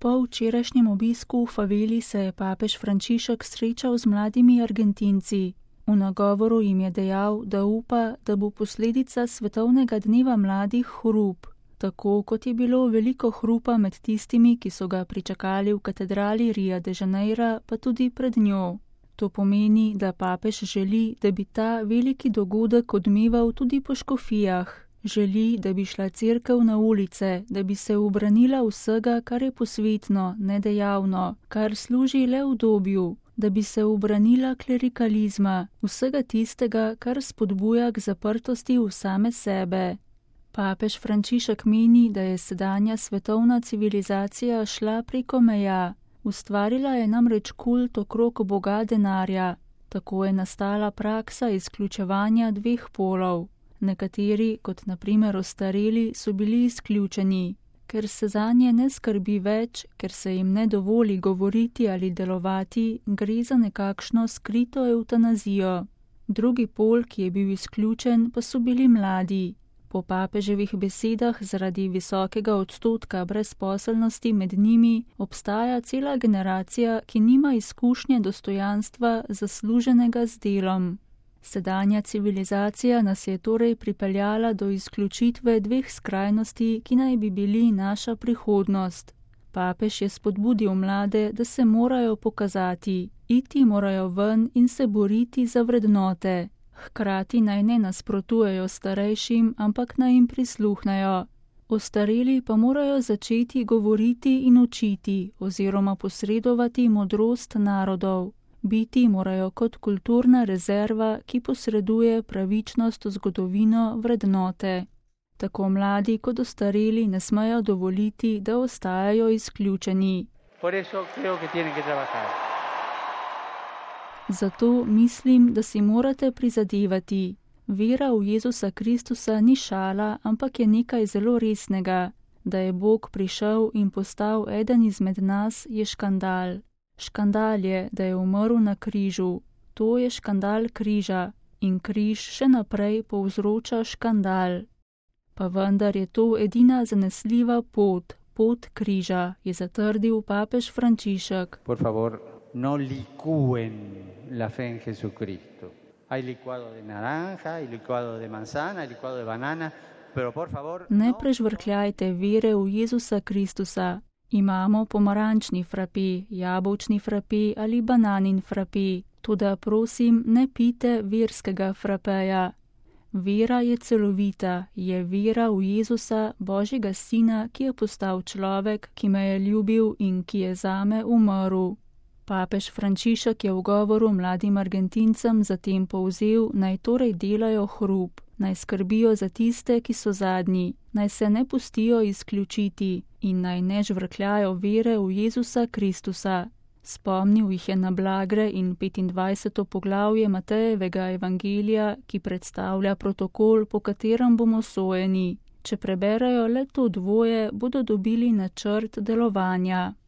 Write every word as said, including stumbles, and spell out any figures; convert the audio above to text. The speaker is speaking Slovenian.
Po včerajšnjem obisku v faveli se je papež Frančišek srečal z mladimi Argentinci. V nagovoru jim je dejal, da upa, da bo posledica svetovnega dneva mladih hrup, tako kot je bilo veliko hrupa med tistimi, ki so ga pričakali v katedrali Rio de Janeira, pa tudi pred njo. To pomeni, da papež želi, da bi ta veliki dogodek odmeval tudi po škofijah. Želi, da bi šla cerkev na ulice, da bi se ubranila vsega, kar je posvetno, nedejavno, kar služi le udobju, da bi se ubranila klerikalizma, vsega tistega, kar spodbuja k zaprtosti v same sebe. Papež Frančišek meni, da je sedanja svetovna civilizacija šla preko meja. Ustvarila je namreč kult okrog boga denarja. Tako je nastala praksa izključevanja dveh polov. Nekateri, kot na primer ostareli, so bili izključeni, ker se zanje ne skrbi več, ker se jim ne dovoli govoriti ali delovati, gre za nekakšno skrito evtanazijo. Drugi pol, ki je bil izključen, pa so bili mladi. Po papeževih besedah zaradi visokega odstotka brezposelnosti med njimi obstaja cela generacija, ki nima izkušnje dostojanstva zasluženega z delom. Sedanja civilizacija nas je torej pripeljala do izključitve dveh skrajnosti, ki naj bi bili naša prihodnost. Papež je spodbudil mlade, da se morajo pokazati, iti morajo ven in se boriti za vrednote. Hkrati naj ne nasprotujejo starejšim, ampak naj jim prisluhnejo. Ostareli pa morajo začeti govoriti in učiti oziroma posredovati modrost narodov. Biti morajo kot kulturna rezerva, ki posreduje pravičnost v zgodovino, vrednote. Tako mladi kot ostareli ne smejo dovoliti, da ostajajo izključeni. Zato mislim, da si morate prizadevati. Vera v Jezusa Kristusa ni šala, ampak je nekaj zelo resnega. Da je Bog prišel in postal eden izmed nas, je škandal. Škandal je, da je umrl na križu. To je škandal križa in križ še naprej povzroča škandal. Pa vendar je to edina zanesljiva pot, pot križa, je zatrdil papež Frančišek. Por favor, no licúen la fe en Jesucristo. Hay licuado de naranja, hay licuado de manzana, hay licuado de banana, pero por favor... Ne prežvrkljajte vere v Jezusa Kristusa. Imamo pomarančni frapi, jabolčni frapi ali bananin frapi, toda prosim, ne pite verskega frapeja. Vera je celovita, je vera v Jezusa, Božjega Sina, ki je postal človek, ki me je ljubil in ki je zame umrl. Papež Frančišek je v govoru mladim Argentincem zatem povzel, naj torej delajo hrup, naj skrbijo za tiste, ki so zadnji, naj se ne pustijo izključiti in naj ne žvrkljajo vere v Jezusa Kristusa. Spomnil jih je na Blagre in petindvajseto poglavje Matejevega evangelija, ki predstavlja protokol, po katerem bomo sojeni. Če preberejo le to dvoje, bodo dobili načrt delovanja.